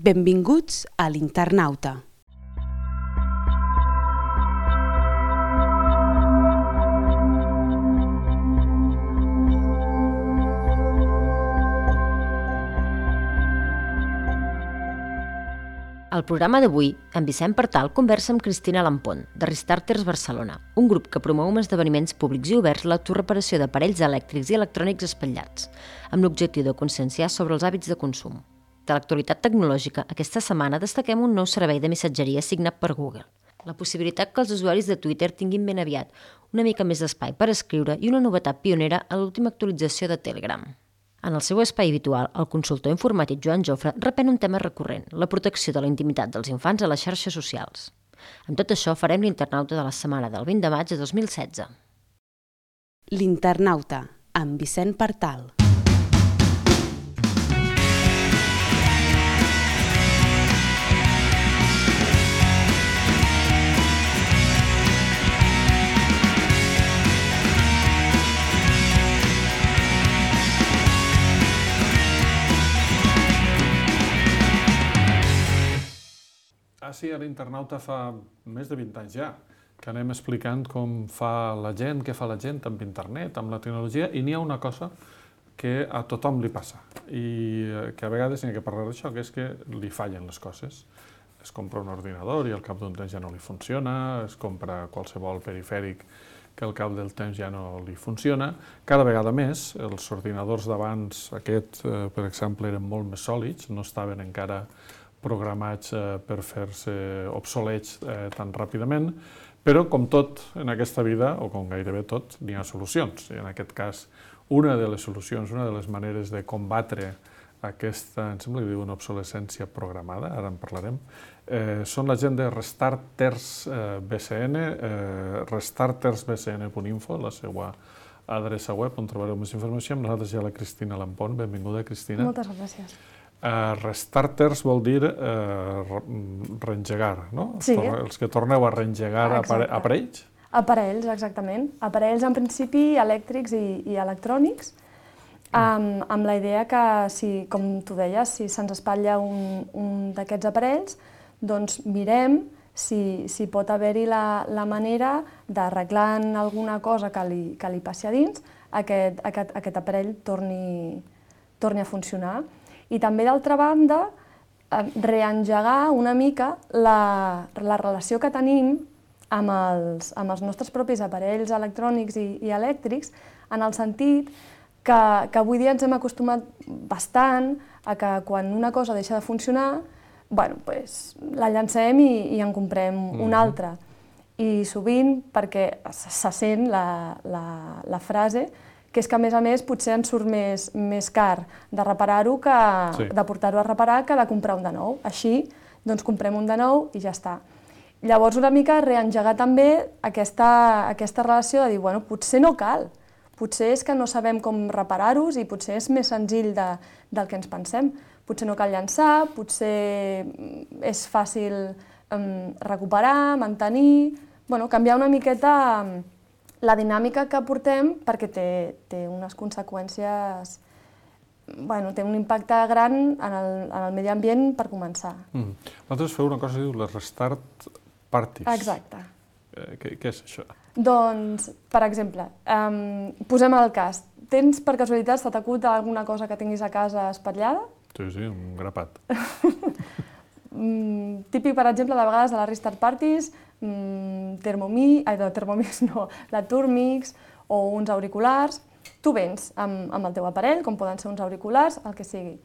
Benvinguts a l'Internauta. Al programa d'avui, en Vicent Partal conversa amb Cristina Lampont, de Restarters Barcelona, un grup que promou amb esdeveniments públics i oberts l'autoreparació d'aparells elèctrics i electrònics espatllats, amb l'objectiu de conscienciar sobre els hàbits de consum. De l'actualitat tecnològica, aquesta setmana destaquem un nou servei de missatgeria signat per Google. La possibilitat que els usuaris de Twitter tinguin ben aviat una mica més d'espai per escriure i una novetat pionera a l'última actualització de Telegram. En el seu espai habitual, el consultor informàtic Joan Jofre reprèn un tema recurrent, la protecció de la intimitat dels infants a les xarxes socials. Amb tot això farem l'Internauta de la setmana del 20 de maig de 2016. L'Internauta, amb Vicent Partal. Sí, a l'Internauta fa més de 20 anys ja, que anem explicant com fa la gent, què fa la gent amb internet, amb la tecnologia, i n'hi ha una cosa que a tothom li passa, i que a vegades n'hi ha que parlar d'això, que és que li fallen les coses. Es compra un ordinador i al cap d'un temps ja no li funciona, es compra qualsevol perifèric que al cap del temps ja no li funciona. Cada vegada més, els ordinadors d'abans, aquests, per exemple, eren molt més sòlids, no estaven encara programats per fer-se obsolets tan ràpidament, però com tot en aquesta vida, o com gairebé tot, n'hi ha solucions. I en aquest cas, una de les solucions, una de les maneres de combatre aquesta, em sembla que diuen obsolescència programada, ara en parlarem, són la gent de Restarters BCN, restartersbcn.info, la seva adreça web, on trobareu més informació. Amb nosaltres hi ha la Cristina Lampont. Benvinguda, Cristina. Moltes gràcies. Restarters vol dir reengegar, no? Sí. Els que torneu a reengegar aparells? Aparells, exactament. Aparells, en principi, elèctrics i electrònics, amb la idea que, com tu deies, si se'ns espatlla un d'aquests aparells, doncs mirem si pot haver-hi la manera d'arreglar alguna cosa que li passi a dins, aquest aparell torni a funcionar. I també, d'altra banda, reengegar una mica la relació que tenim amb els nostres propis aparells electrònics i elèctrics, en el sentit que avui dia ens hem acostumat bastant a que quan una cosa deixa de funcionar, la llancem i en comprem una altra. I sovint, perquè se sent la frase, que és que, a més, potser ens surt més car de reparar-ho de portar-ho a reparar que de comprar un de nou. Així, doncs comprem un de nou i ja està. Llavors, una mica reengegar també aquesta relació de dir, potser no cal, potser és que no sabem com reparar-los i potser és més senzill del que ens pensem. Potser no cal llançar, potser és fàcil recuperar, mantenir, canviar una miqueta la dinàmica que portem, perquè té unes conseqüències, té un impacte gran en el medi ambient per començar. Vosaltres feu una cosa que diu les Restart Parties. Exacte. Què és això? Doncs, per exemple, posem el cas. Tens per casualitat, se t'acut alguna cosa que tinguis a casa espatllada? Sí, un grapat. Típic, per exemple, de vegades de les Restart Parties, la Turmix o uns auriculars. Tu vens amb el teu aparell, com poden ser uns auriculars, el que sigui.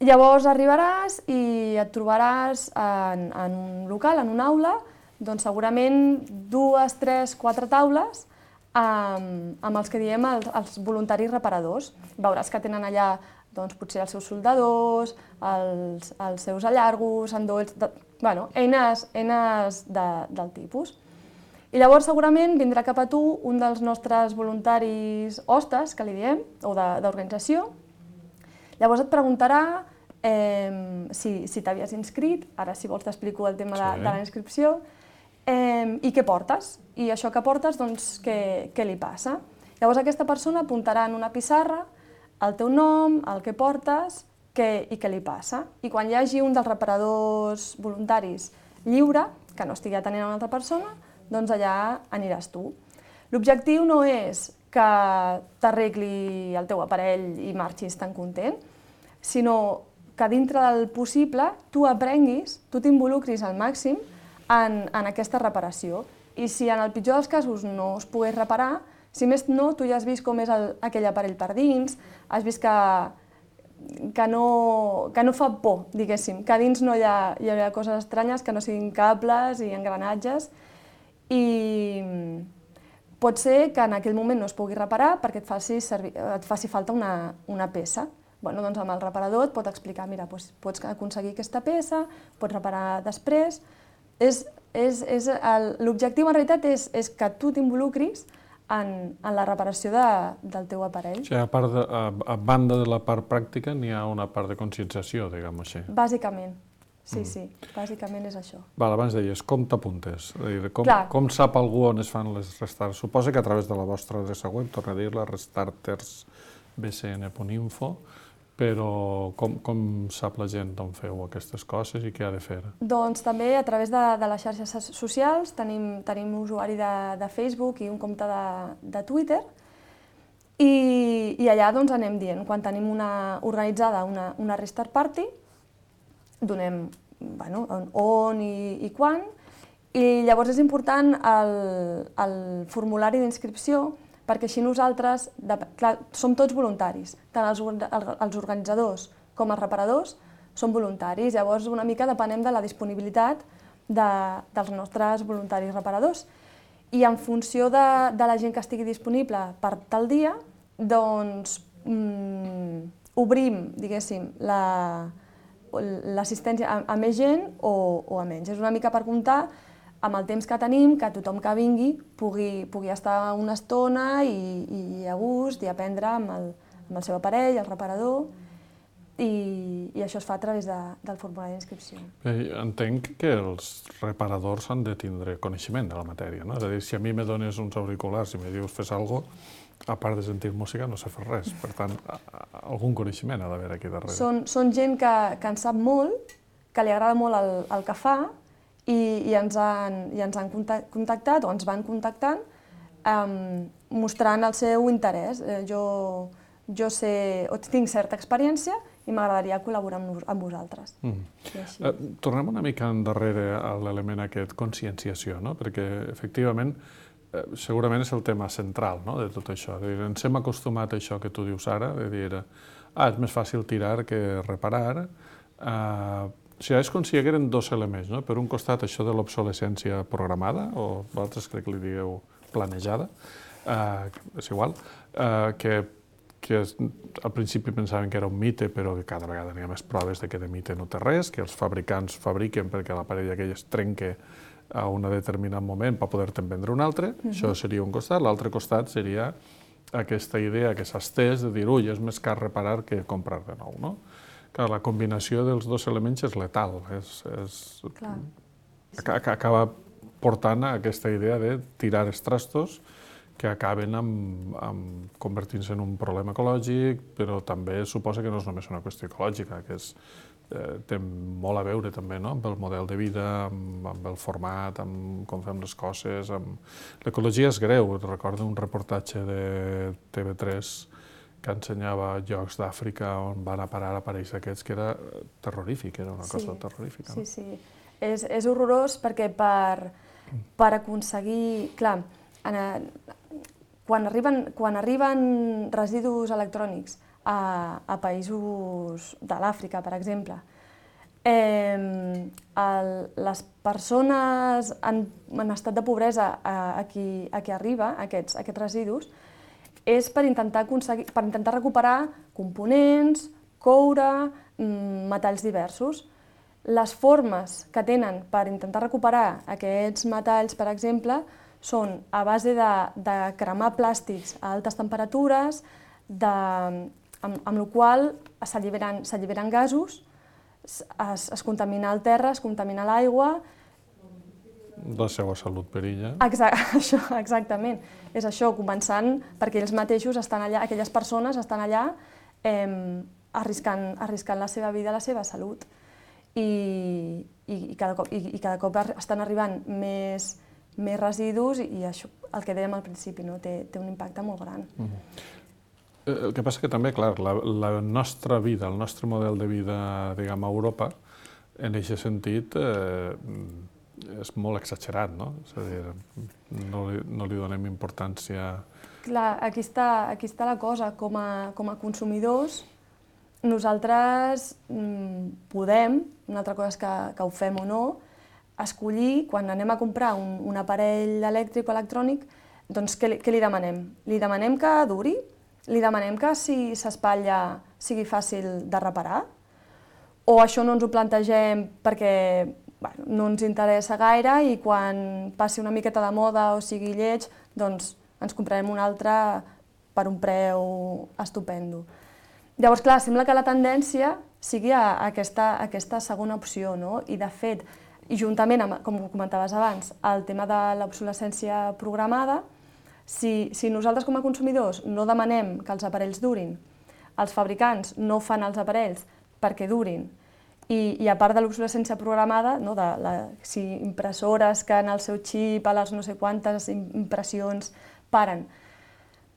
Llavors arribaràs i et trobaràs en un local, en una aula, doncs segurament 2, 3, 4 taules amb els que diem els voluntaris reparadors. Veuràs que tenen allà potser els seus soldadors, els seus allargos, endolls, eines del tipus. I llavors segurament vindrà cap a tu un dels nostres voluntaris hostes, que li diem, o d'organització. Llavors et preguntarà si t'havies inscrit, ara si vols t'explico el tema de la inscripció, i què portes, i això que portes, doncs, què li passa. Llavors aquesta persona apuntarà en una pissarra el teu nom, el que portes i què li passa. I quan hi hagi un dels reparadors voluntaris lliure, que no estigui atenent a una altra persona, doncs allà aniràs tu. L'objectiu no és que t'arregli el teu aparell i marxis tan content, sinó que dintre del possible tu aprenguis, tu t'involucris al màxim en aquesta reparació. I si en el pitjor dels casos no es pogués reparar, si més no, tu ja has vist com és aquell aparell per dins, has vist que no fa por, diguéssim, que a dins no hi ha coses estranyes, que no siguin cables i engranatges, i pot ser que en aquell moment no es pugui reparar perquè et faci falta una peça. Doncs amb el reparador et pot explicar, mira, pots aconseguir aquesta peça, pots reparar després. L'objectiu en realitat és que tu t'involucris en la reparació del teu aparell. O sigui, a banda de la part pràctica, n'hi ha una part de conscienciació, diguem-ho així. Bàsicament, sí, bàsicament és això. Abans deies, com t'apuntes? Com sap algú on es fan les restarts? Suposa que a través de la vostra adreça web, torna a dir-la, restartersbcn.info, però com sap la gent on feu aquestes coses i què ha de fer? Doncs també a través de les xarxes socials tenim usuari de Facebook i un compte de Twitter, i allà anem dient, quan tenim organitzada una restart party, donem on i quan, i llavors és important el formulari d'inscripció, perquè així nosaltres, clar, som tots voluntaris, tant els organitzadors com els reparadors són voluntaris, llavors una mica depenem de la disponibilitat dels nostres voluntaris reparadors. I en funció de la gent que estigui disponible per tal dia, doncs obrim, diguéssim, l'assistència a més gent o a menys. És una mica per comptar amb el temps que tenim, que tothom que vingui pugui estar una estona i a gust i aprendre amb el seu aparell, el reparador, i això es fa a través del formulari d'inscripció. Entenc que els reparadors han de tindre coneixement de la matèria, no? És a dir, si a mi me dones uns auriculars i me dius fes alguna cosa, a part de sentir música no sé fer res, per tant, algun coneixement ha d'haver aquí darrere. Són gent que en sap molt, que li agrada molt el que fa, i ens han contactat o ens van contactant mostrant el seu interès. Jo tinc certa experiència i m'agradaria col·laborar amb vosaltres. Tornem una mica endarrere a l'element aquest, conscienciació, perquè efectivament segurament és el tema central de tot això. Ens hem acostumat a això que tu dius ara, de dir és més fàcil tirar que reparar. O sigui, és com si hi hagueren dos elements, no? Per un costat, això de l'obsolescència programada, o vosaltres crec que li digueu planejada, és igual, que al principi pensaven que era un mite, però que cada vegada n'hi ha més proves de que de mite no té res, que els fabricants fabriquen perquè l'aparell aquell es trenca a un determinat moment per poder-te'n vendre un altre. Això seria un costat. L'altre costat seria aquesta idea que s'ha estès de dir, ui, és més car reparar que comprar de nou, no? Clar, la combinació dels dos elements és letal, acaba portant a aquesta idea de tirar els trastos que acaben convertint-se en un problema ecològic, però també suposa que no és només una qüestió ecològica, que té molt a veure també amb el model de vida, amb el format, amb com fem les coses. L'ecologia és greu. Recordo un reportatge de TV3 que ensenyava llocs d'Àfrica on van a parar aparells aquests, que era terrorífic, era una cosa terrorífica. Sí. És horrorós perquè per aconseguir... Clar, quan arriben residus electrònics a països de l'Àfrica, per exemple, les persones en estat de pobresa a qui arriba aquests residus és per intentar recuperar components, coure, metalls diversos. Les formes que tenen per intentar recuperar aquests metalls, per exemple, són a base de cremar plàstics a altes temperatures, amb la qual s'alliberen gasos, es contamina el terra, es contamina l'aigua. La seva salut perilla. Exactament. És això, començant perquè ells mateixos estan allà, aquelles persones estan allà arriscant la seva vida, la seva salut. I cada cop estan arribant més residus i això, el que dèiem al principi, no? Té un impacte molt gran. El que passa que també, clar, la nostra vida, el nostre model de vida, diguem, a Europa, en aquest sentit, és molt exagerat, no? És a dir, no li donem importància... Clar, aquí està la cosa. Com a consumidors, nosaltres podem, una altra cosa és que ho fem o no, escollir, quan anem a comprar un aparell elèctric o electrònic, doncs què li demanem? Li demanem que duri? Li demanem que si s'espatlla sigui fàcil de reparar? O això no ens ho plantegem perquè no ens interessa gaire i quan passi una miqueta de moda o sigui lleig, doncs ens comprarem un altre per un preu estupendo. Llavors, clar, sembla que la tendència sigui a aquesta segona opció, no? I de fet, i juntament amb, com comentaves abans, el tema de l'obsolescència programada, si nosaltres com a consumidors no demanem que els aparells durin, els fabricants no fan els aparells perquè durin, i a part de l'obsolescència programada, si impressores que en el seu xip a les no sé quantes impressions paren.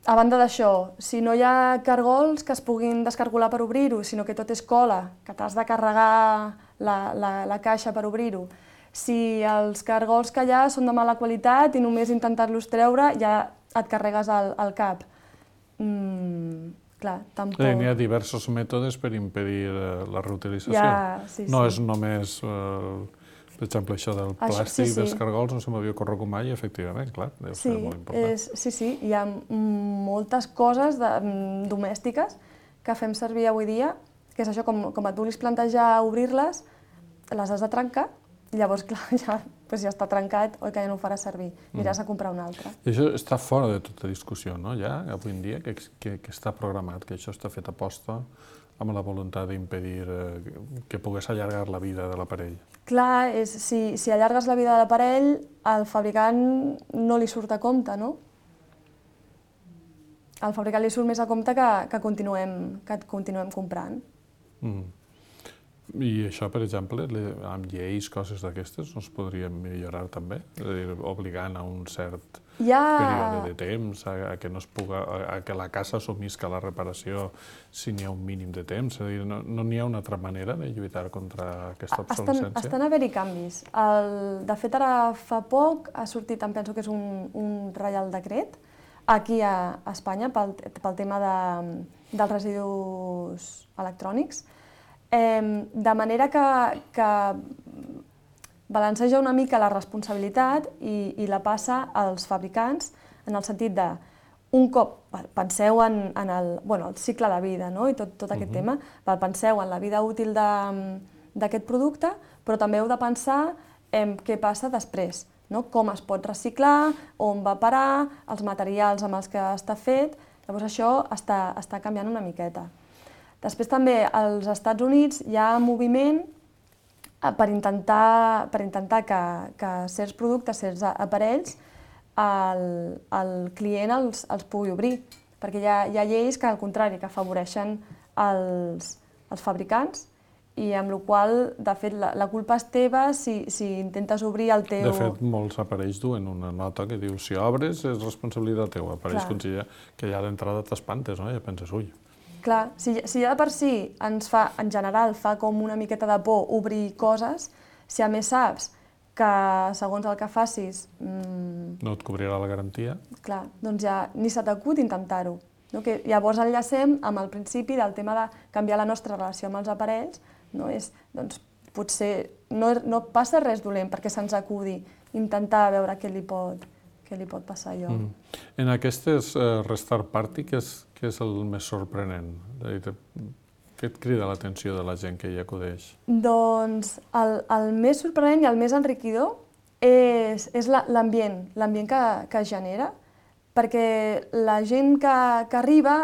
A banda d'això, si no hi ha cargols que es puguin descargolar per obrir-ho, sinó que tot és cola, que t'has de carregar la caixa per obrir-ho, si els cargols que hi ha són de mala qualitat i només intentar-los treure ja et carregues al cap. Clar, tampoc... N'hi ha diversos mètodes per impedir la reutilització. No és només, per exemple, això del plàstic, dels cargols, no se m'havia ocorregut mai, efectivament, clar, deu ser molt important. Sí, hi ha moltes coses domèstiques que fem servir avui dia, que és això, com et vulguis plantejar obrir-les, les has de trencar, i llavors, clar, ja està trencat, oi que ja no ho faràs servir, aniràs a comprar un altre. I això està fora de tota discussió, no? Ja, avui en dia, que està programat, que això està fet a posta amb la voluntat d'impedir que pogués allargar la vida de l'aparell. Clar, si allargues la vida de l'aparell, al fabricant no li surt a compte, no? Al fabricant li surt més a compte que continuem comprant. I això, per exemple, amb lleis, coses d'aquestes, no es podrien millorar també? És a dir, obligant a un cert període de temps, a que la casa assumisca la reparació si n'hi ha un mínim de temps? És a dir, no n'hi ha una altra manera de lluitar contra aquesta obsolescència? Estan haver-hi canvis. De fet, ara fa poc ha sortit, em penso que és un reial decret, aquí a Espanya, pel tema dels residus electrònics, de manera que balanceja una mica la responsabilitat i la passa als fabricants en el sentit de, un cop, penseu en el cicle de vida i tot aquest tema, penseu en la vida útil d'aquest producte, però també heu de pensar en què passa després, com es pot reciclar, on va parar, els materials amb els que està fet, llavors això està canviant una miqueta. Després també als Estats Units hi ha moviment per intentar que certs productes, certs aparells, el client els pugui obrir, perquè hi ha lleis que, al contrari, que afavoreixen els fabricants i amb la qual, de fet, la culpa és teva si intentes obrir el teu... De fet, molts aparells duen una nota que diu si obres és responsabilitat teva. Aparells que ja d'entrada t'espantes, no? Ja penses, ui... Clar, si ja de per si en general fa com una miqueta de por obrir coses, si a més saps que segons el que facis... No et cobrirà la garantia. Clar, doncs ja ni se t'acut intentar-ho. Llavors enllacem amb el principi del tema de canviar la nostra relació amb els aparells, potser no passa res dolent perquè se'ns acudi intentar veure què li pot passar a allò. En aquestes Restart Party, què és el més sorprenent? Què et crida l'atenció de la gent que hi acudeix? Doncs el més sorprenent i el més enriquidor és l'ambient que es genera, perquè la gent que arriba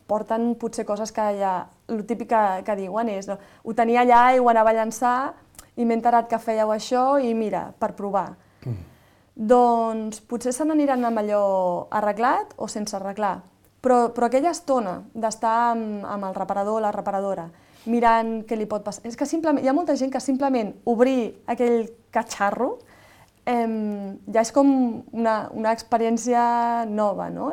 porten potser coses que ja, el típic que diuen és ho tenia allà i ho anava a llançar i m'he enterat que fèieu això i mira, per provar. Doncs potser se n'aniran amb allò arreglat o sense arreglar, Però aquella estona d'estar amb el reparador o la reparadora, mirant què li pot passar, és que simplement, hi ha molta gent que simplement obrir aquell catxarro ja és com una experiència nova, no?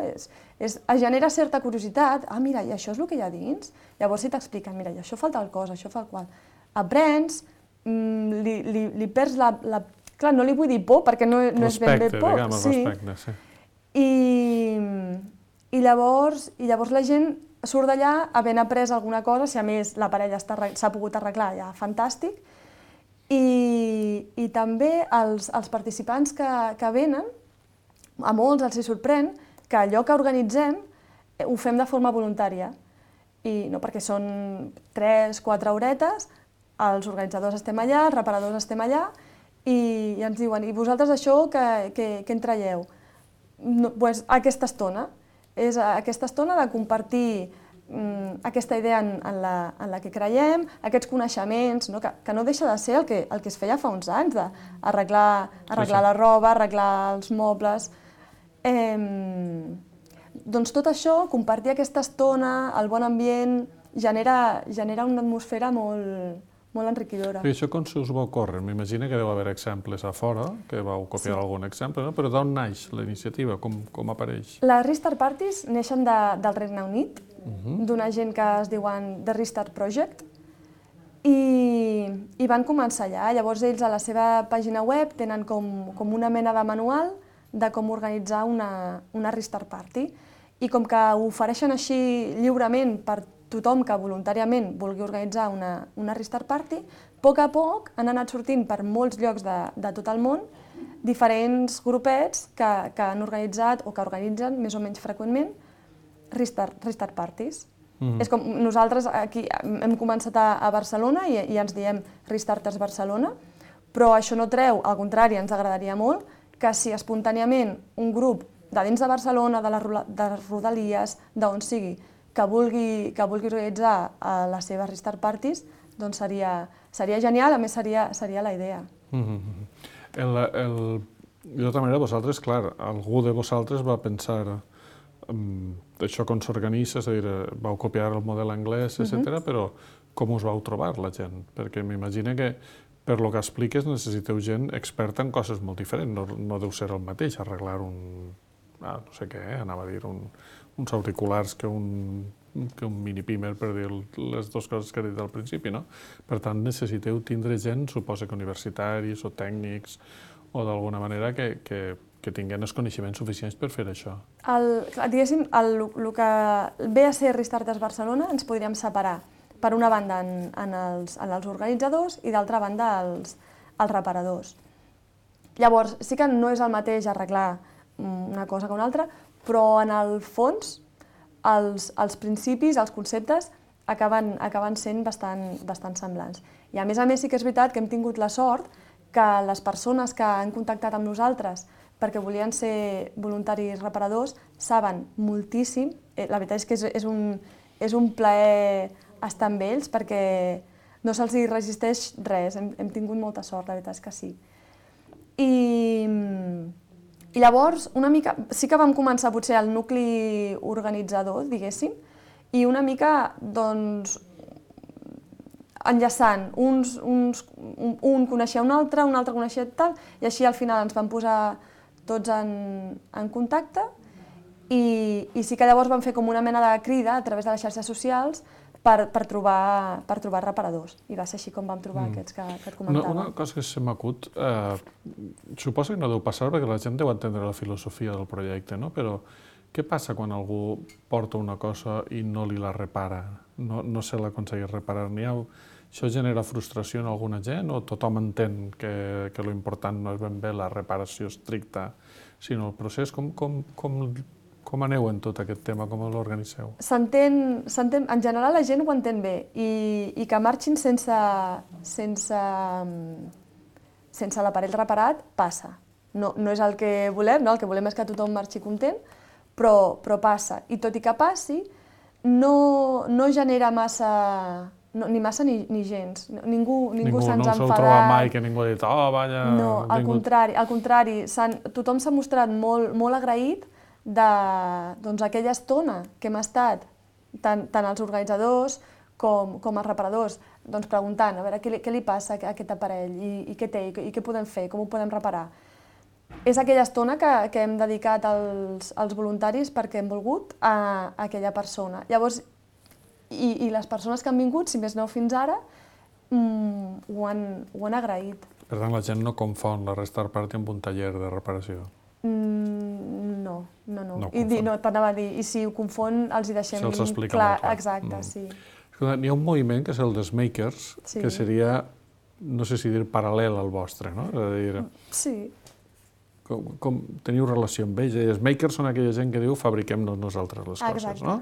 Es genera certa curiositat, mira, i això és el que hi ha dins? Llavors si t'expliquen, mira, i això fa tal cosa, això fa el qual. Aprens, li perds la... Clar, no li vull dir por, perquè no és ben bé por. Respecte, sí. I llavors la gent surt d'allà havent après alguna cosa, si a més la parella s'ha pogut arreglar, ja fantàstic. I també els participants que venen, a molts els sorprèn que allò que organitzem ho fem de forma voluntària. I no perquè són 3-4 horetes, els organitzadors estem allà, els reparadors estem allà, i ens diuen, i vosaltres això què en traieu? Doncs aquesta estona. És aquesta estona de compartir aquesta idea en la que creiem, aquests coneixements, que no deixa de ser el que es feia fa uns anys, d'arreglar la roba, arreglar els mobles. Doncs tot això, compartir aquesta estona, el bon ambient, genera una atmosfera molt enriquidora. I això com se us va ocórrer? M'imagino que deu haver exemples a fora, que vau copiar algun exemple, però d'on naix la iniciativa? Com apareix? Les Restart Parties neixen del Regne Unit, d'una gent que es diuen The Restart Project, i van començar allà. Llavors ells a la seva pàgina web tenen com una mena de manual de com organitzar una Restart Party. I com que ho ofereixen així lliurement per tothom que voluntàriament vulgui organitzar una Restart Party, a poc han anat sortint per molts llocs de tot el món diferents grupets que han organitzat o que organitzen més o menys freqüentment Restart Parties. És com nosaltres aquí hem començat a Barcelona i ens diem Restarters Barcelona, però això no treu, al contrari, ens agradaria molt que si espontàniament un grup de dins de Barcelona, de les Rodalies, d'on sigui, que vulgui organitzar les seves Restart Parties, doncs seria genial, a més seria la idea. De tota manera, vosaltres, clar, algú de vosaltres va pensar això com s'organitza, és a dir, vau copiar el model anglès, etc., però com us vau trobar la gent? Perquè m'imagino que per lo que expliques necessiteu gent experta en coses molt diferents, no deu ser el mateix arreglar no sé què, anava a dir, uns auriculars que un mini-pimer, per dir les dues coses que he dit al principi, no? Per tant, necessiteu tindre gent, suposa que universitaris o tècnics, o d'alguna manera que tinguin els coneixements suficients per fer això. Diguéssim, el que ve a ser Restarters Barcelona ens podríem separar, per una banda, en els organitzadors i d'altra banda, els reparadors. Llavors, sí que no és el mateix arreglar una cosa que una altra, però en el fons els principis, els conceptes, acaben sent bastant semblants. I a més sí que és veritat que hem tingut la sort que les persones que han contactat amb nosaltres perquè volien ser voluntaris reparadors saben moltíssim. La veritat és que és un plaer estar amb ells perquè no se'ls resisteix res. Hem tingut molta sort, la veritat és que sí. I llavors, una mica, sí que vam començar potser el nucli organitzador, diguéssim, i una mica, doncs, enllaçant, un coneixia un altre coneixia tal, i així al final ens vam posar tots en contacte, i sí que llavors vam fer com una mena de crida a través de les xarxes socials per trobar reparadors. I va ser així com vam trobar aquests que et comentava. Una cosa que se m'acut, suposo que no deu passar perquè la gent deu entendre la filosofia del projecte, no? Però què passa quan algú porta una cosa i no li la repara? No se l'aconsegueix reparar? Això genera frustració en alguna gent o tothom entén que l'important no és ben bé la reparació estricta, sinó el procés? Com aneu en tot aquest tema? Com l'organitzeu? En general la gent ho entén bé i que marxin sense l'aparell reparat passa. No és el que volem, el que volem és que tothom marxi content, però passa. I tot i que passi, no genera massa, ni massa ni gens. Ningú se'ns ha enfadat. No s'ho troba mai que ningú ha dit, vaya... No, al contrari, tothom s'ha mostrat molt agraït d'aquella estona que hem estat, tant els organitzadors com els reparadors, preguntant a veure què li passa a aquest aparell i què té i què podem fer, com ho podem reparar. És aquella estona que hem dedicat als voluntaris perquè hem volgut a aquella persona. Llavors, i les persones que han vingut, si més no fins ara, ho han agraït. Per tant, la gent no confon la Restart Party amb un taller de reparació? No. T'anava a dir, i si ho confon, els hi deixem se'ls explica molt clar. Exacte, sí. N'hi ha un moviment que és el dels makers, que seria, no sé si dir paral·lel al vostre, no? És a dir, sí. Com teniu relació amb ells? Els makers són aquella gent que diu fabriquem-nos nosaltres les coses, no?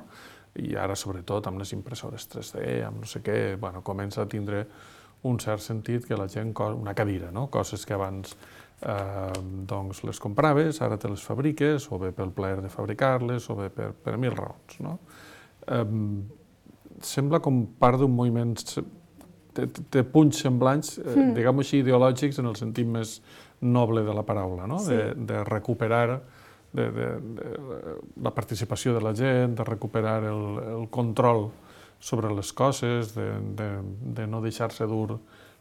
I ara, sobretot, amb les impressores 3D, amb no sé què, comença a tindre un cert sentit que la gent, una cadira, no? Coses que abans les compraves, ara te les fabriques, o bé pel plaer de fabricar-les, o bé per mil raons, no? Sembla com part d'un moviment, té punts semblants, diguem-ho així, ideològics en el sentit més noble de la paraula, no? De recuperar la participació de la gent, de recuperar el control sobre les coses, de no deixar-se dur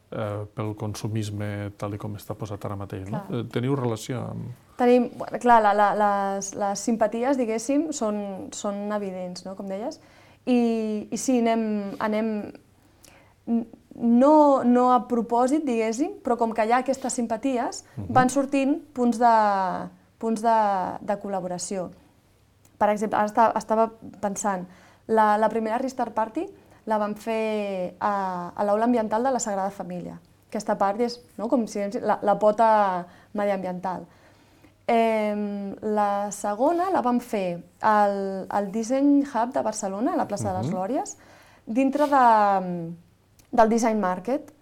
pel consumisme tal com està posat ara mateix. Teniu relació amb... Tenim, clar, les simpaties, diguéssim, són evidents, com deies, i sí, anem no a propòsit, diguéssim, però com que hi ha aquestes simpaties, van sortint punts de col·laboració. Per exemple, ara estava pensant, la primera Restart Party la vam fer a l'Aula Ambiental de la Sagrada Família. Aquesta part és com si la pota mediambiental. La segona la vam fer al Design Hub de Barcelona, a la plaça de les Glòries, dintre del Design Market,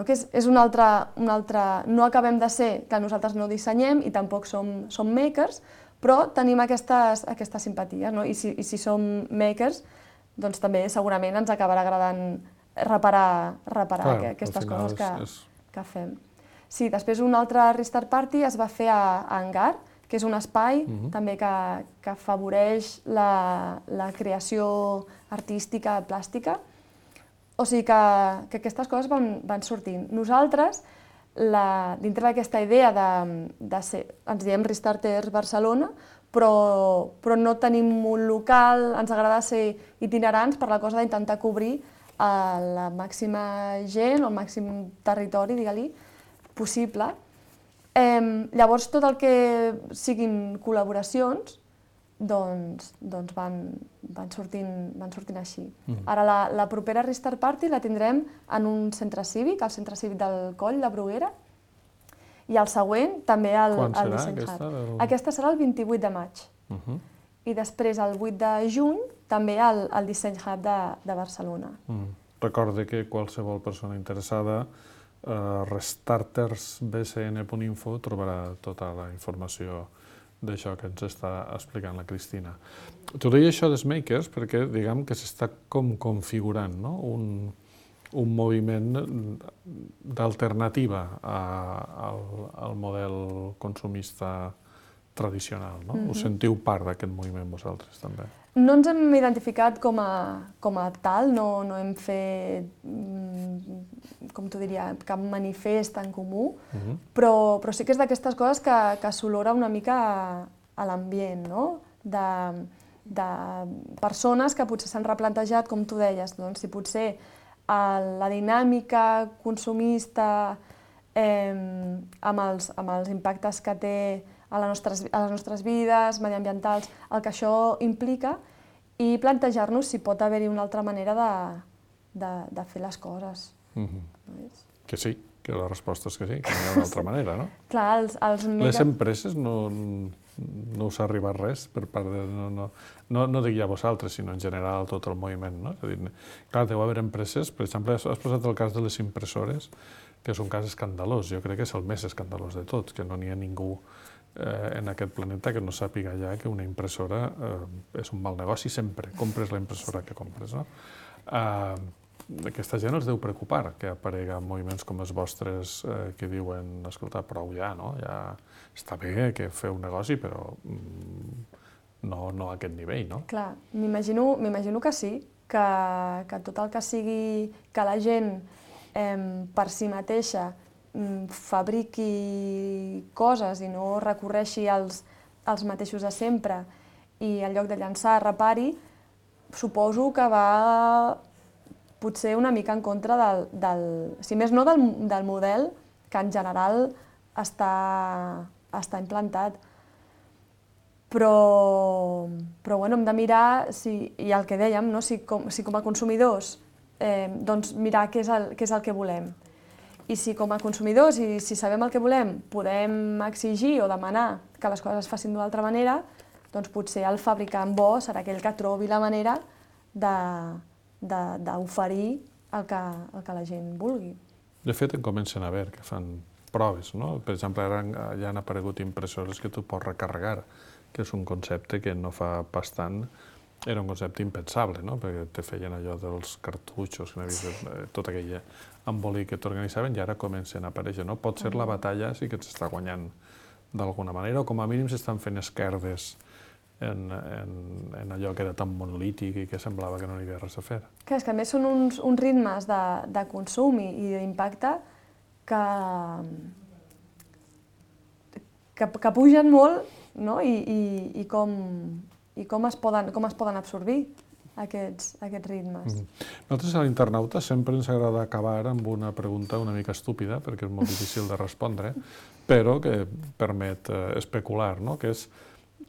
que és un altre... No acabem de ser, que nosaltres no dissenyem i tampoc som makers, però tenim aquestes simpaties, i si som makers, doncs també segurament ens acabarà agradant reparar aquestes coses que fem. Sí, després una altra Restart Party es va fer a Hangar, que és un espai també que afavoreix la creació artística plàstica. O sigui que aquestes coses van sortint. Nosaltres, dintre d'aquesta idea de ser, ens diem Restarters Barcelona, però no tenim un local, ens agrada ser itinerants per la cosa d'intentar cobrir la màxima gent o el màxim territori, digue-li, possible. Llavors, tot el que siguin col·laboracions, doncs van sortint així. Ara la propera Restart Party la tindrem en un centre cívic, el centre cívic del Coll de Bruguera, i el següent també al Design Hub. Aquesta serà el 28 de maig. I després, el 8 de juny, també al Design Hub de Barcelona. Recorde que qualsevol persona interessada restartersbcn.info trobarà tota la informació d'això que ens està explicant la Cristina. T'ho deia això dels makers perquè diguem que s'està com configurant un moviment d'alternativa al model consumista tradicional. Us sentiu part d'aquest moviment vosaltres també? No ens hem identificat com a tal, no hem fet, com t'ho diria, cap manifest en comú, però sí que és d'aquestes coses que s'olora una mica a l'ambient, de persones que potser s'han replantejat, com tu deies, si potser la dinàmica consumista amb els impactes que té a les nostres vides, mediambientals, el que això implica, i plantejar-nos si pot haver-hi una altra manera de fer les coses. Que sí, que la resposta és que sí, que no hi ha una altra manera, no? Clar, les empreses no us ha arribat res per part de... No dic ja vosaltres, sinó en general tot el moviment, no? És a dir, clar, deu haver empreses, per exemple, has posat el cas de les impressores, que és un cas escandalós, jo crec que és el més escandalós de tots, que no n'hi ha ningú en aquest planeta que no sàpiga ja que una impressora és un mal negoci sempre, compres la impressora que compres, no? Aquesta gent els deu preocupar que apareguen moviments com els vostres que diuen, escolta, prou ja, no? Ja està bé que feu un negoci, però no a aquest nivell, no? Clar, m'imagino que sí, que tot el que sigui que la gent per si mateixa fabriqui coses i no recorreixi als mateixos de sempre i en lloc de llançar, repari, suposo que va potser una mica en contra si més no del model que en general està implantat. Però bueno, hem de mirar, i el que dèiem, si com a consumidors doncs mirar què és el que volem. I si com a consumidors, i si sabem el que volem, podem exigir o demanar que les coses es facin d'una altra manera, doncs potser el fabricant bo serà aquell que trobi la manera d'oferir el que la gent vulgui. De fet, en comencen a veure que fan proves, no? Per exemple, ara ja han aparegut impressores que tu pots recarregar, que és un concepte que no fa pas tant era un concepte impensable, no? Perquè te feien allò dels cartutxos, tot aquell embolic que t'organitzaven i ara comencen a aparèixer, no? Pot ser la batalla sí que s'està guanyant d'alguna manera o com a mínim s'estan fent esquerdes en allò que era tan monolític i que semblava que no hi havia res a fer. És que a més són uns ritmes de consum i d'impacte que pugen molt, no? I com es poden absorbir aquests ritmes. Nosaltres a l'Internauta sempre ens agrada acabar amb una pregunta una mica estúpida, perquè és molt difícil de respondre, però que permet especular, que és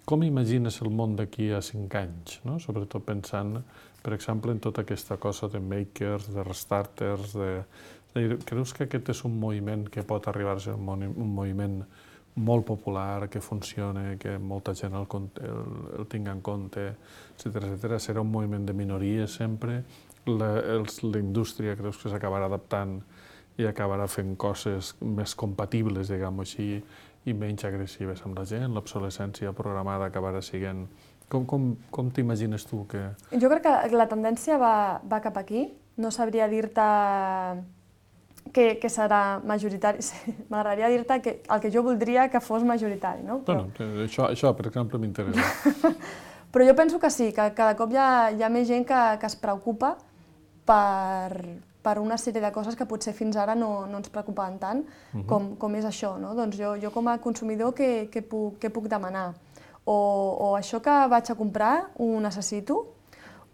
com imagines el món d'aquí a 5 anys? Sobretot pensant, per exemple, en tota aquesta cosa de makers, de restarters, creus que aquest és un moviment que pot arribar a ser un moviment molt popular, que funcione, que molta gent el tingui en compte, etcètera? Serà un moviment de minories sempre? La indústria creus que s'acabarà adaptant i acabarà fent coses més compatibles, diguem-ho així, i menys agressives amb la gent? L'obsolescència programada acabarà sent... Com t'imagines tu que... Jo crec que la tendència va cap aquí. No sabria dir-te que serà majoritari. M'agradaria dir-te el que jo voldria que fos majoritari, no? Bueno, això, per exemple, m'interessa. Però jo penso que sí, que cada cop hi ha més gent que es preocupa per una sèrie de coses que potser fins ara no ens preocupaven tant, com és això, no? Doncs jo com a consumidor què puc demanar? O això que vaig a comprar ho necessito?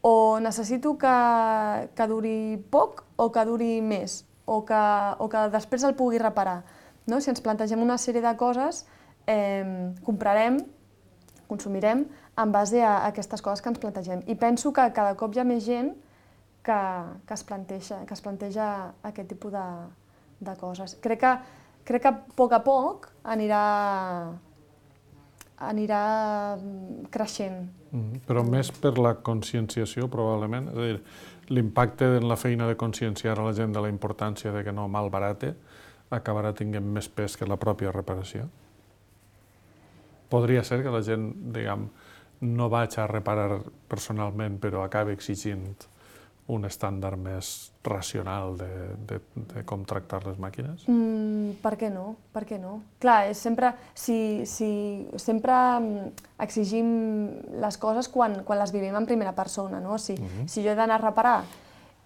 O necessito que duri poc o que duri més? O que després el pugui reparar? Si ens plantegem una sèrie de coses, comprarem, consumirem en base a aquestes coses que ens plantegem. I penso que cada cop hi ha més gent que es planteja aquest tipus de coses. Crec que a poc anirà creixent. Però més per la conscienciació, probablement. És a dir, l'impacte en la feina de conscienciar a la gent de la importància de que no malbarate acabarà tinguent més pes que la pròpia reparació. Podria ser que la gent, diguem, no vagi a reparar personalment, però acabi exigint un estàndard més racional de com tractar les màquines? Per què no? Per què no? Clar, sempre exigim les coses quan les vivim en primera persona, no? Si jo he d'anar a reparar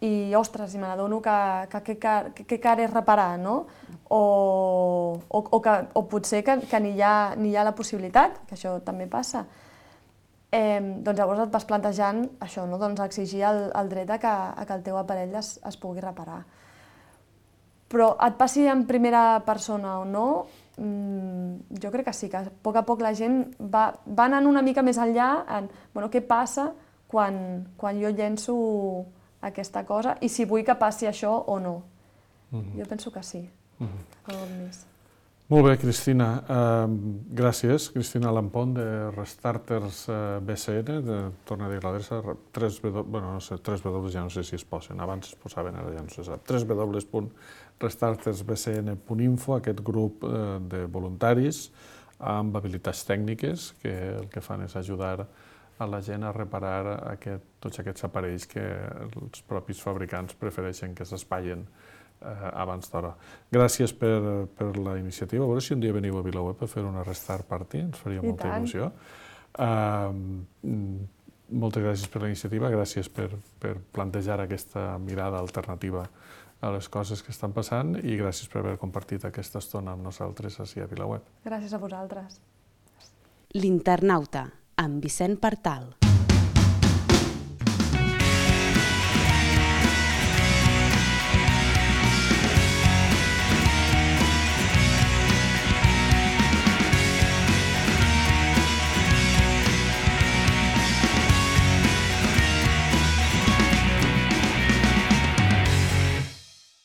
i, ostres, i me n'adono que car és reparar, no? O potser que ni hi ha la possibilitat, que això també passa, doncs llavors et vas plantejant això, doncs exigir el dret a que el teu aparell es pugui reparar. Però et passi en primera persona o no, jo crec que sí, que a poc la gent va anant una mica més enllà en què passa quan jo llenço aquesta cosa i si vull que passi això o no. Jo penso que sí. Molt bé, Cristina. Gràcies. Cristina Lampón, de Restarters BCN. Torna a dir l'adreça, 3W, ja no sé si es posen, abans es posaven, ara ja no se sap, www.restartersbcn.info, aquest grup de voluntaris amb habilitats tècniques que el que fan és ajudar a la gent a reparar tots aquests aparells que els propis fabricants prefereixen que s'espaien abans d'hora. Gràcies per la iniciativa. A veure si un dia veniu a VilaWeb a fer una Restart Party, ens faria molta il·lusió. Moltes gràcies per la iniciativa, gràcies per plantejar aquesta mirada alternativa a les coses que estan passant i gràcies per haver compartit aquesta estona amb nosaltres ací a VilaWeb. Gràcies a vosaltres. L'Internauta, amb Vicent Partal.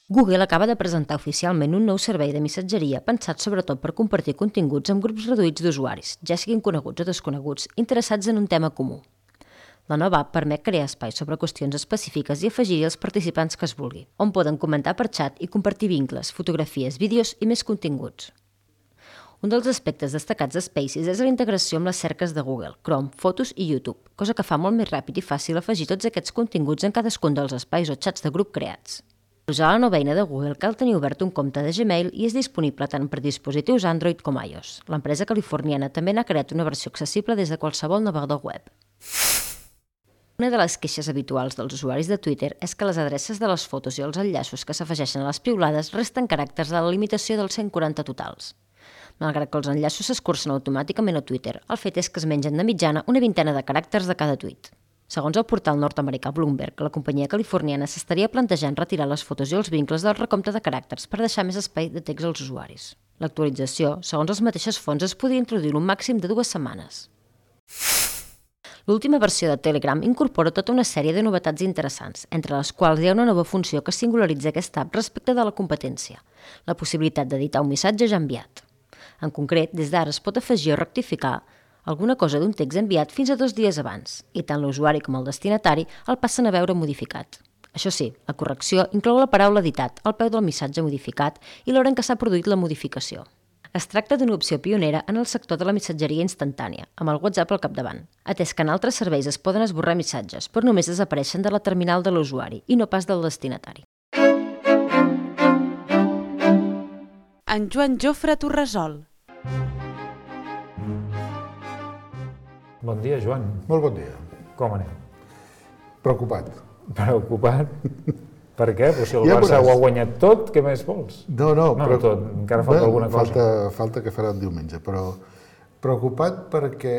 Google acaba de presentar oficialment un nou servei de missatgeria pensat sobretot per compartir continguts amb grups reduïts d'usuaris, ja siguin coneguts o desconeguts, interessats en un tema comú. La nova app permet crear espais sobre qüestions específiques i afegir-hi els participants que es vulgui, on poden comentar per xat i compartir vincles, fotografies, vídeos i més continguts. Un dels aspectes destacats de Spaces és la integració amb les cerques de Google, Chrome, Fotos i YouTube, cosa que fa molt més ràpid i fàcil afegir tots aquests continguts en cadascun dels espais o xats de grup creats. Per usar la nova eina de Google cal tenir obert un compte de Gmail i és disponible tant per dispositius Android com iOS. L'empresa californiana també n'ha creat una versió accessible des de qualsevol navegador web. Una de les queixes habituals dels usuaris de Twitter és que les adreces de les fotos i els enllaços que s'afegeixen a les piulades resten caràcters a la limitació dels 140 totals. Malgrat que els enllaços s'escurcen automàticament a Twitter, el fet és que es mengen de mitjana una vintena de caràcters de cada tuit. Segons el portal nord-americà Bloomberg, la companyia californiana s'estaria plantejant retirar les fotos i els vincles del recompte de caràcters per deixar més espai de text als usuaris. L'actualització, segons les mateixes fonts, es podria introduir un màxim de 2 setmanes. L'última versió de Telegram incorpora tota una sèrie de novetats interessants, entre les quals hi ha una nova funció que singularitza aquesta app respecte de la competència, la possibilitat d'editar un missatge ja enviat. En concret, des d'ara es pot afegir o rectificar alguna cosa d'un text enviat fins a 2 dies abans, i tant l'usuari com el destinatari el passen a veure modificat. Això sí, la correcció inclou la paraula editat al peu del missatge modificat i l'hora en què s'ha produït la modificació. Es tracta d'una opció pionera en el sector de la missatgeria instantània, amb el WhatsApp al capdavant, atès que en altres serveis es poden esborrar missatges, però només desapareixen de la terminal de l'usuari i no pas del destinatari. En Joan Jofre Torresol. Bon dia, Joan. Molt bon dia. Com anem? Preocupat. Preocupat? Per què? Però si el Barça ho ha guanyat tot, què més vols? No, però tot, encara falta alguna cosa. Falta que farà el diumenge, però preocupat perquè,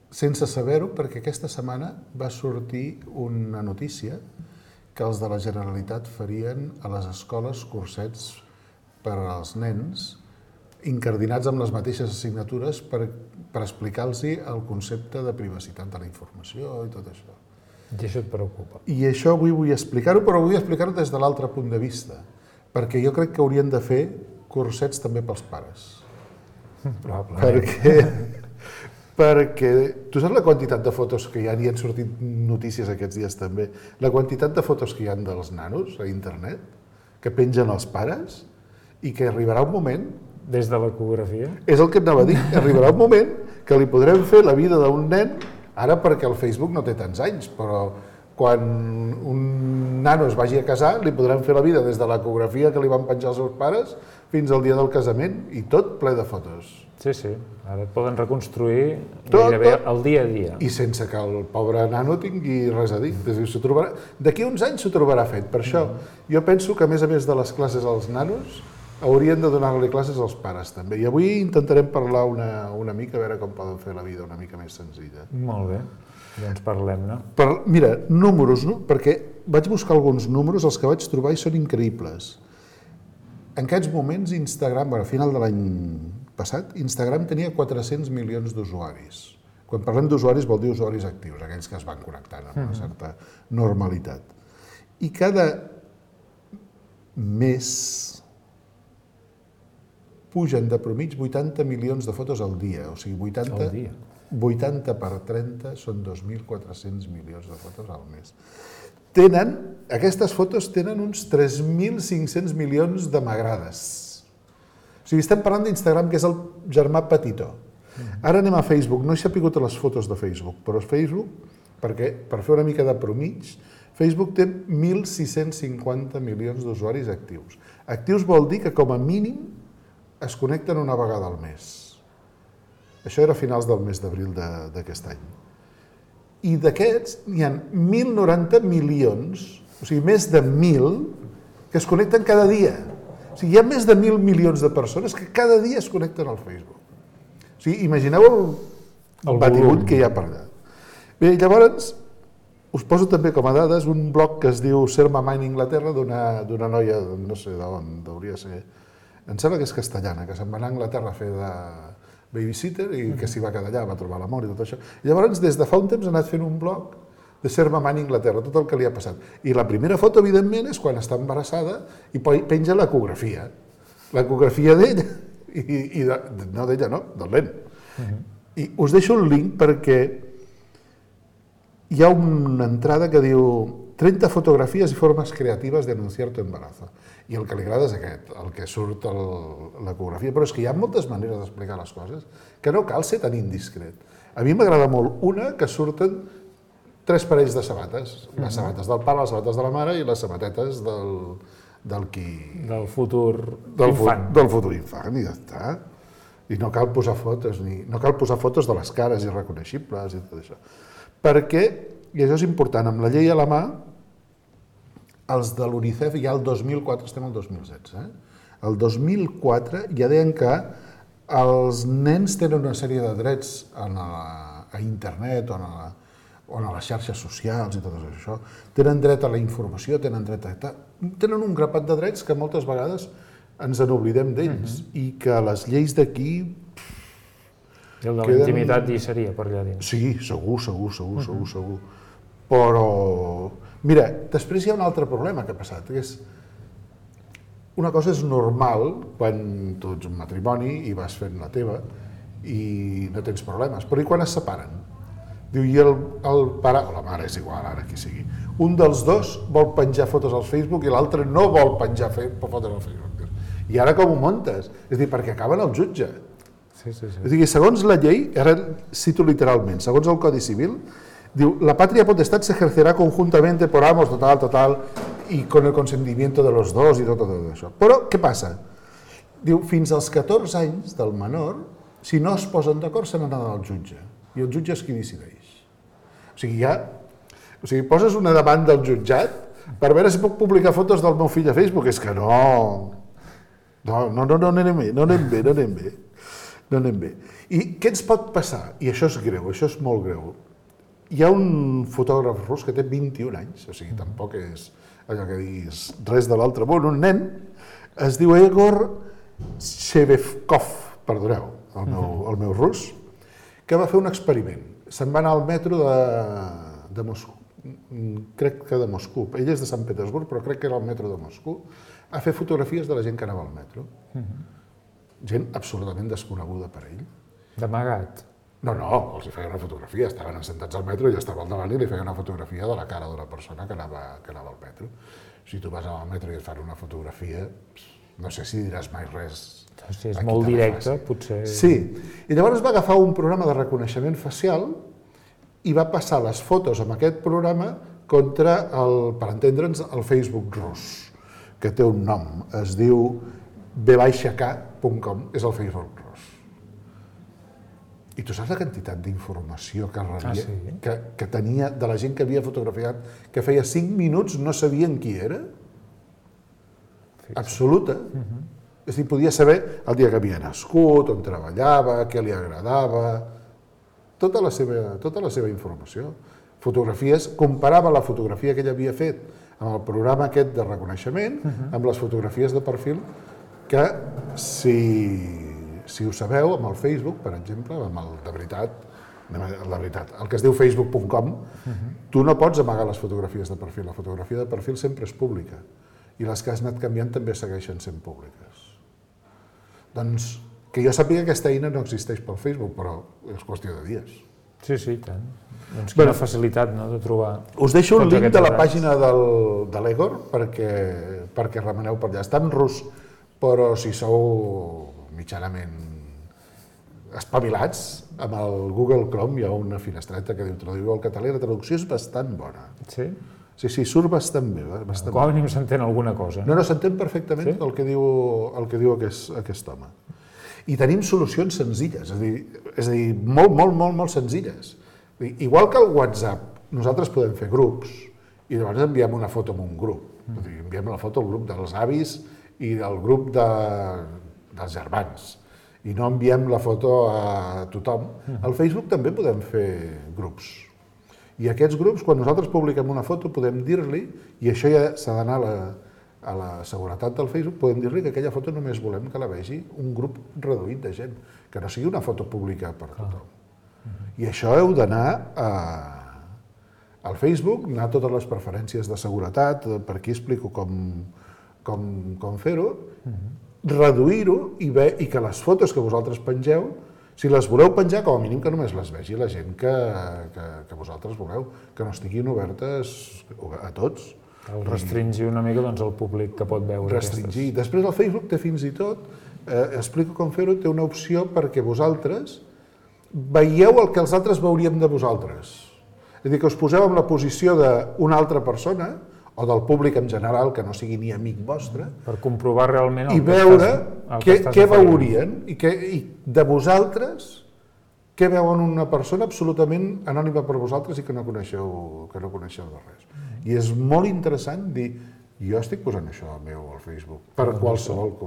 sense saber-ho, perquè aquesta setmana va sortir una notícia que els de la Generalitat farien a les escoles cursets per als nens incardinats amb les mateixes assignatures per explicar-los el concepte de privacitat de la informació i tot això. I això et preocupa? I això avui vull explicar-ho, però vull explicar-ho des de l'altre punt de vista, perquè jo crec que haurien de fer cursets també pels pares. Probablement. Perquè tu saps la quantitat de fotos que hi ha, i han sortit notícies aquests dies també, la quantitat de fotos que hi ha dels nanos a internet, que pengen els pares, i que arribarà un moment... Des de l'ecografia? És el que et anava a dir. Arribarà un moment que li podrem fer la vida d'un nen, ara perquè el Facebook no té tants anys, però quan un nano es vagi a casar li podrem fer la vida des de l'ecografia que li van penjar els seus pares fins al dia del casament, i tot ple de fotos. Sí, sí. Ara et poden reconstruir gairebé el dia a dia. I sense que el pobre nano tingui res a dir. D'aquí uns anys s'ho trobarà fet. Per això jo penso que, a més de les classes als nanos, haurien de donar-li classes als pares també. I avui intentarem parlar una mica, a veure com poden fer la vida una mica més senzilla. Molt bé, doncs parlem, no? Mira, números, no? Perquè vaig buscar alguns números, els que vaig trobar i són increïbles. En aquests moments, Instagram, a final de l'any passat, Instagram tenia 400 milions d'usuaris. Quan parlem d'usuaris vol dir usuaris actius, aquells que es van connectant amb una certa normalitat. I cada mes pugen de premitja 80 milions de fotos al dia, o sigui, 80 per 30 són 2.400 milions de fotos al mes. Aquestes fotos tenen uns 3.500 milions de m'agrades. O sigui, estem parlant d'Instagram, que és el germà petitó. Ara anem a Facebook, no he sapigut les fotos de Facebook, però Facebook, perquè per fer una mica de promig, Facebook té 1.650 milions d'usuaris actius. Actius vol dir que com a mínim es connecten una vegada al mes. Això era a finals del mes d'abril d'aquest any. I d'aquests n'hi ha 1.090 milions, o sigui, més de 1.000, que es connecten cada dia. O sigui, hi ha més de 1.000 milions de persones que cada dia es connecten al Facebook. O sigui, imagineu el batibull que hi ha per allà. Bé, llavors, us poso també com a dades un blog que es diu Serma Mine Inglaterra d'una noia, no sé d'on, hauria ser, em sembla que és castellana, que se'n va anar a Anglaterra a fer de babysitter i que s'hi va quedar allà, va trobar l'amor i tot això. I llavors, des de fa un temps, ha anat fent un blog de Serma Mine Inglaterra, tot el que li ha passat. I la primera foto, evidentment, és quan està embarassada i penja l'ecografia. L'ecografia d'ella, no d'ella, no, del nen. I us deixo un link perquè hi ha una entrada que diu 30 fotografies i formes creatives de anunciar tu embarazo. I el que li agrada és aquest, el que surt l'ecografia. Però és que hi ha moltes maneres d'explicar les coses que no cal ser tan indiscret. A mi m'agrada molt una que surten 3 parells de sabates. Les sabates del pare, les sabates de la mare i les sabatetes del futur infant. Del futur infant, i ja està. I no cal posar fotos, no cal posar fotos de les cares irreconeixibles i tot això. Perquè, i això és important, amb la llei a la mà, els de l'UNICEF ja el 2004, estem al 2016, el 2004 ja deien que els nens tenen una sèrie de drets a internet o a les xarxes socials i tot això. Tenen dret a la informació, tenen un grapat de drets que moltes vegades ens n'oblidem d'ells i que les lleis d'aquí... I el de la intimitat hi seria per allà dins. Sí, segur. Però, mira, després hi ha un altre problema que ha passat, que és una cosa és normal quan tu ets un matrimoni i vas fent la teva i no tens problemes, però i quan es separen? Diu, i el pare, o la mare, és igual, ara qui sigui, un dels dos vol penjar fotos al Facebook i l'altre no vol penjar fotos al Facebook. I ara com ho muntes? És a dir, perquè acaben al jutge. És a dir, segons la llei, ara cito literalment, segons el Codi Civil, diu, la patria potestad se ejercerá conjuntamente por ambos, total, y con el consentimiento de los dos y tot això. Però, què passa? Diu, fins als 14 anys del menor, si no es posen d'acord, se n'han d'anar al jutge. I el jutge és qui decideix. O sigui, poses una demanda al jutjat per veure si puc publicar fotos del meu fill a Facebook. És que no anem bé. I què ens pot passar? I això és greu, això és molt greu. Hi ha un fotògraf rus que té 21 anys, o sigui, tampoc és allò que diguis res de l'altre món, un nen, es diu Egor Shevkov, perdoneu, el meu rus, que va fer un experiment. Se'n va anar al metro de Moscou, crec que de Moscou, ell és de Sant Petersburg, però crec que era el metro de Moscou, a fer fotografies de la gent que anava al metro. Gent absolutament desconeguda per ell. D'amagat? No, els hi feia una fotografia, estaven assentats al metro i estava al davant i li feia una fotografia de la cara d'una persona que anava al metro. Si tu vas al metro i et fan una fotografia, no sé si diràs mai res. Si és molt directe, potser... Sí, i llavors va agafar un programa de reconeixement facial i va passar les fotos amb aquest programa contra, per entendre'ns, el Facebook rus, que té un nom, es diu b-k.com, és el Facebook rus. I tu saps la quantitat d'informació que tenia de la gent que havia fotografiat, que feia 5 minuts no sabien qui era? Absoluta. És a dir, podia saber el dia que havia nascut, on treballava, què li agradava, tota la seva informació. Fotografies, comparava la fotografia que ell havia fet amb el programa aquest de reconeixement, amb les fotografies de perfil, que si ho sabeu, amb el Facebook, per exemple, amb el de veritat, el que es diu facebook.com, tu no pots amagar les fotografies de perfil. La fotografia de perfil sempre és pública i les que has anat canviant també segueixen sent públiques. Doncs, que jo sàpiga que aquesta eina no existeix pel Facebook, però és qüestió de dies. Sí, i tant. Doncs quina facilitat, no?, de trobar... Us deixo un link de la pàgina de l'Egor perquè remeneu per allà. Està en rus, però si sou mitjanament espavilats, amb el Google Chrome hi ha una finestreta que diu traduïu al català i la traducció és bastant bona. Sí? Sí, surt bastant bé. Com a mínim s'entén alguna cosa. No, s'entén perfectament el que diu aquest home. I tenim solucions senzilles, és a dir, molt senzilles. Igual que el WhatsApp, nosaltres podem fer grups i llavors enviem una foto en un grup. Enviem la foto al grup dels avis i del grup dels germans. I no enviem la foto a tothom. Al Facebook també podem fer grups. I aquests grups, quan nosaltres publiquem una foto, podem dir-li, i això ja s'ha d'anar a la seguretat del Facebook, podem dir-li que aquella foto només volem que la vegi un grup reduït de gent, que no sigui una foto pública per tothom. I això heu d'anar al Facebook, anar a totes les preferències de seguretat, per aquí explico com fer-ho, reduir-ho i que les fotos que vosaltres pengeu, si les voleu penjar, com a mínim que només les vegi la gent que vosaltres voleu, que no estiguin obertes a tots. Restringir una mica el públic que pot veure aquestes. Restringir. Després el Facebook té fins i tot, explico com fer-ho, té una opció perquè vosaltres veieu el que els altres veuríem de vosaltres. És a dir, que us poseu en la posició d'una altra persona, o del públic en general, que no sigui ni amic vostre, per comprovar realment i veure què veurien i de vosaltres, què veuen una persona absolutament anònima per vosaltres i que no coneixeu de res. I és molt interessant dir, jo estic posant això al Facebook, per qualsevol que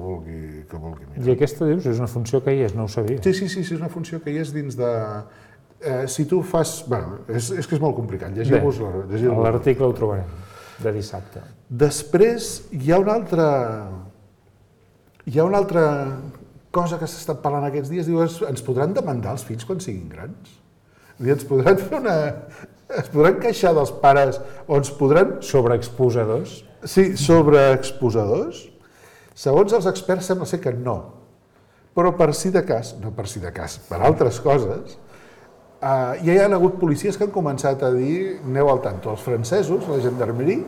vulgui mirar. I aquesta, dius, és una funció que hi és, no ho sabia. Sí, és una funció que hi és dins de... Si tu fas... Bé, és que és molt complicat, llegiu-vos l'article ho trobarem. De dissabte. Després hi ha una altra cosa que s'ha estat parlant aquests dies, diu, ens podran demandar els fills quan siguin grans? Ens podran es podran queixar dels pares o ens podran... Sobreexposadors? Sí, sobreexposadors. Segons els experts sembla ser que no. Però per si de cas, per altres coses, ja hi ha hagut policies que han començat a dir, aneu al tanto, els francesos, la gendarmeria,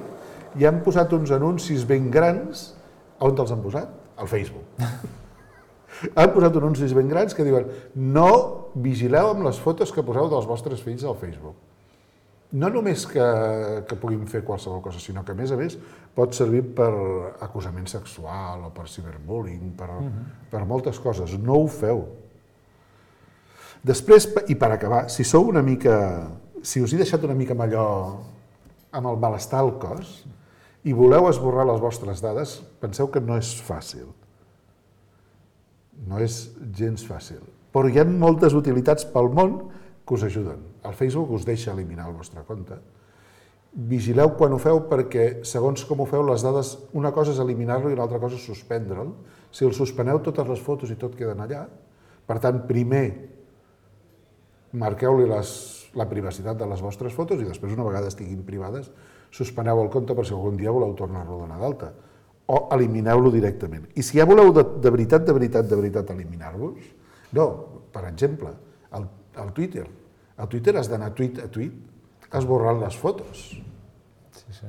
ja han posat uns anuncis ben grans. On els han posat? Al Facebook. Han posat anuncis ben grans que diuen no vigileu amb les fotos que poseu dels vostres fills al Facebook. No només que puguin fer qualsevol cosa, sinó que, a més, pot servir per acusament sexual o per ciberbullying, per moltes coses. No ho feu. Després, i per acabar, si us he deixat una mica amb allò, amb el malestar al cos, i voleu esborrar les vostres dades, penseu que no és fàcil. No és gens fàcil. Però hi ha moltes utilitats pel món que us ajuden. El Facebook us deixa eliminar el vostre compte. Vigileu quan ho feu perquè, segons com ho feu, les dades, una cosa és eliminar-lo i una altra cosa és suspendre'l. Si el suspeneu, totes les fotos i tot queden allà. Per tant, primer, marqueu-li la privacitat de les vostres fotos i després, una vegada estiguin privades, suspeneu el compte per si algun dia voleu tornar-lo a donar d'alta. O elimineu-lo directament. I si ja voleu de veritat eliminar-vos, no, per exemple, el Twitter. Al Twitter has d'anar tweet a tweet esborrant les fotos. Sí.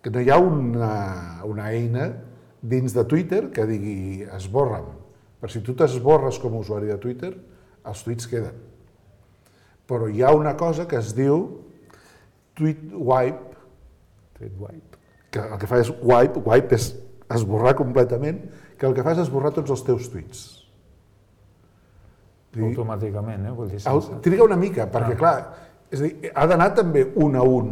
Que no hi ha una eina dins de Twitter que digui esborra'm. Per si tu t'esborres com a usuari de Twitter, els tuits queden. Però hi ha una cosa que es diu tweet wipe, que el que fa és wipe és esborrar completament, que el que fa és esborrar tots els teus tuits. Automàticament, vull dir... Triga una mica, perquè clar, és a dir, ha d'anar també un a un.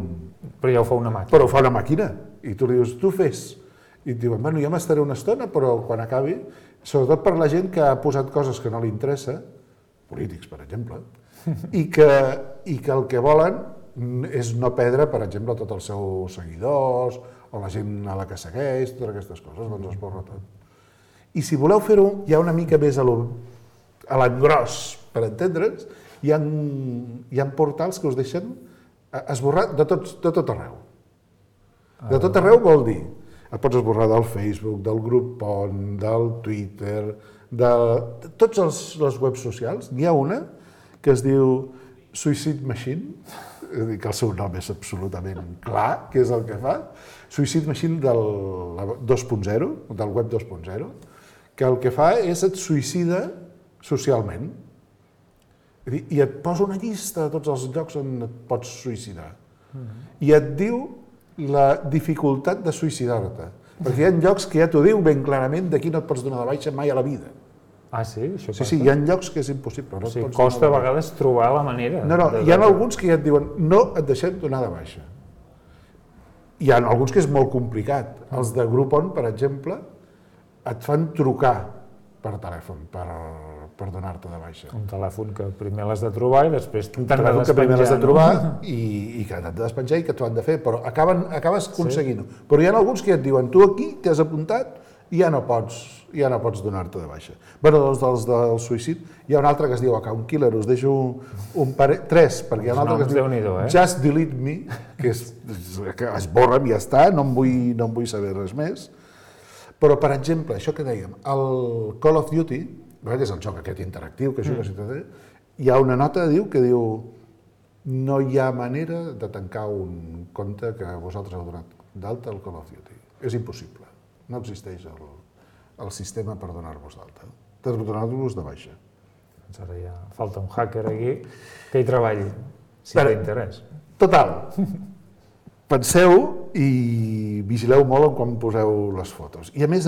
Però ja ho fa una màquina. Però ho fa una màquina. I tu li dius, tu fes. I et diuen, bueno, ja m'estaré una estona, però quan acabi, sobretot per la gent que ha posat coses que no li interessa, polítics, per exemple, i que el que volen és no perdre, per exemple, tots els seus seguidors o la gent a la que segueix, totes aquestes coses, doncs es borra tot. I si voleu fer-ho ja una mica més a l'engròs, per entendre'ns, hi ha portals que us deixen esborrar de tot arreu. De tot arreu vol dir, et pots esborrar del Facebook, del grup PON, del Twitter, de tots les webs socials. N'hi ha una que es diu Suicide Machine, és a dir, que el seu nom és absolutament clar, què és el que fa. Suicide Machine del 2.0, del web 2.0, que el que fa és et suïcida socialment. I et posa una llista de tots els llocs on et pots suïcidar. I et diu la dificultat de suïcidar-te. Perquè hi ha llocs que ja t'ho diu ben clarament d'aquí no et pots donar de baixa mai a la vida. Ah, sí? Això passa? Sí, hi ha llocs que és impossible. O sigui, costa a vegades trobar la manera. No, hi ha alguns que ja et diuen no et deixem donar de baixa. Hi ha alguns que és molt complicat. Els de Groupon, per exemple, et fan trucar per telèfon per donar-te de baixa. Un telèfon que primer l'has de trobar i després Un telèfon que primer l'has de trobar i que t'han de despenjar i que t'ho han de fer, però acabes aconseguint-ho. Però hi ha alguns que et diuen tu aquí t'has apuntat i ja no pots donar-te de baixa. Bé, doncs dels del suïcidi hi ha un altre que es diu Account Killer, us deixo tres, perquè hi ha un altre que es diu Just Delete Me, que esborra'm i ja està, no en vull saber res més. Però, per exemple, això que dèiem, el Call of Duty, és el joc aquest interactiu que jugues i tot, hi ha una nota que diu no hi ha manera de tancar un compte que vosaltres heu donat d'alta al Call of Duty. És impossible. No existeix el sistema per donar-vos d'alta. Per donar-vos de baixa. Doncs ara ja falta un hacker aquí que hi treballi, si té interès. Total. Penseu i vigileu molt quan poseu les fotos. I a més,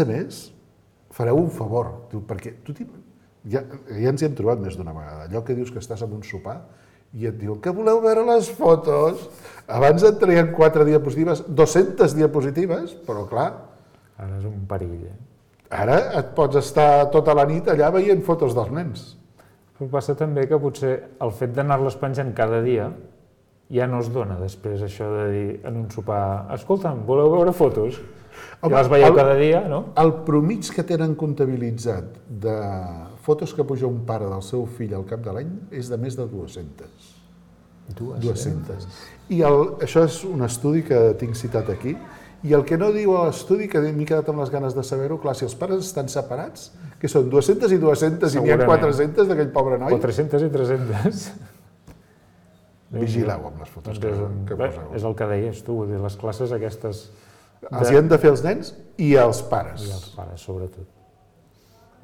fareu un favor, perquè ja ens hi hem trobat més d'una vegada. Allò que dius que estàs en un sopar i et diuen que voleu veure les fotos. Abans et traien 4 diapositives, 200 diapositives, però clar... Ara és un perill. Ara et pots estar tota la nit allà veient fotos dels nens. Però passa també que potser el fet d'anar-les penjant cada dia ja no es dona després això de dir en un sopar, escolta'm, voleu veure fotos? I les veieu cada dia, no? El promig que tenen comptabilitzat de fotos que puja un pare del seu fill al cap de l'any és de més de 200. 200. I això és un estudi que tinc citat aquí, i el que no diu l'estudi, que m'he quedat amb les ganes de saber-ho, clar, si els pares estan separats, que són 200 i 200 i n'hi ha 400 d'aquell pobre noi... 400 i 300. Vigileu amb les fotos que poseu. És el que deies tu, les classes aquestes... Els hi han de fer els nens i els pares. I els pares, sobretot.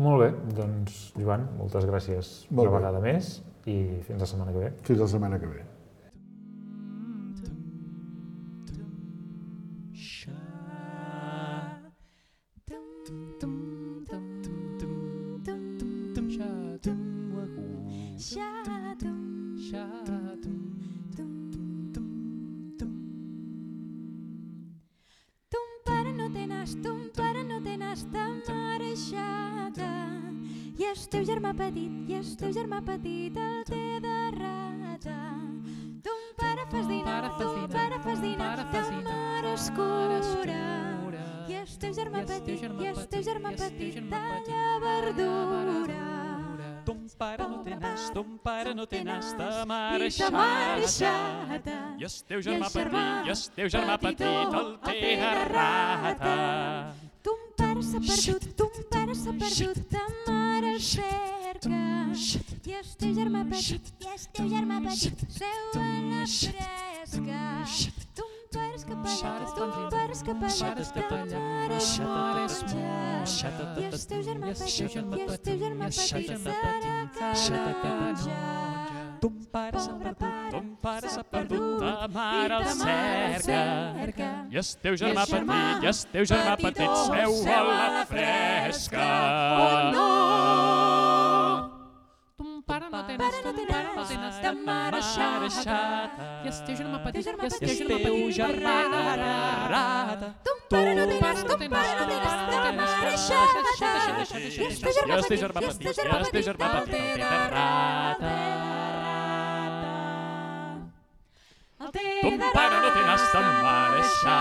Molt bé, doncs, Joan, moltes gràcies una vegada més i fins la setmana que ve. Fins la setmana que ve. el teu germà petit el té de rata. Ton pare fas dinar, ta mare escura. I el teu germà petit talla verdura. Ton pare no té nas, ta mare xata. I el teu germà petit el té de rata. Ton pare s'ha perdut, ta mare el cerca. I el teu germà petit seu a la fresca. Ton pare escapadat, ta mare es moja. I el teu germà petit serà canonja. Ton pare s'ha perdut, ta mare el cerca. I el teu germà petit seu a la fresca. Oh no! Ton pare no té nas, ta mare xata. I el teu germà petit rata. Ton pare no té nas, ta mare xata. I el teu germà petit el té de rata. Ton pare no té nas, ta mare xata.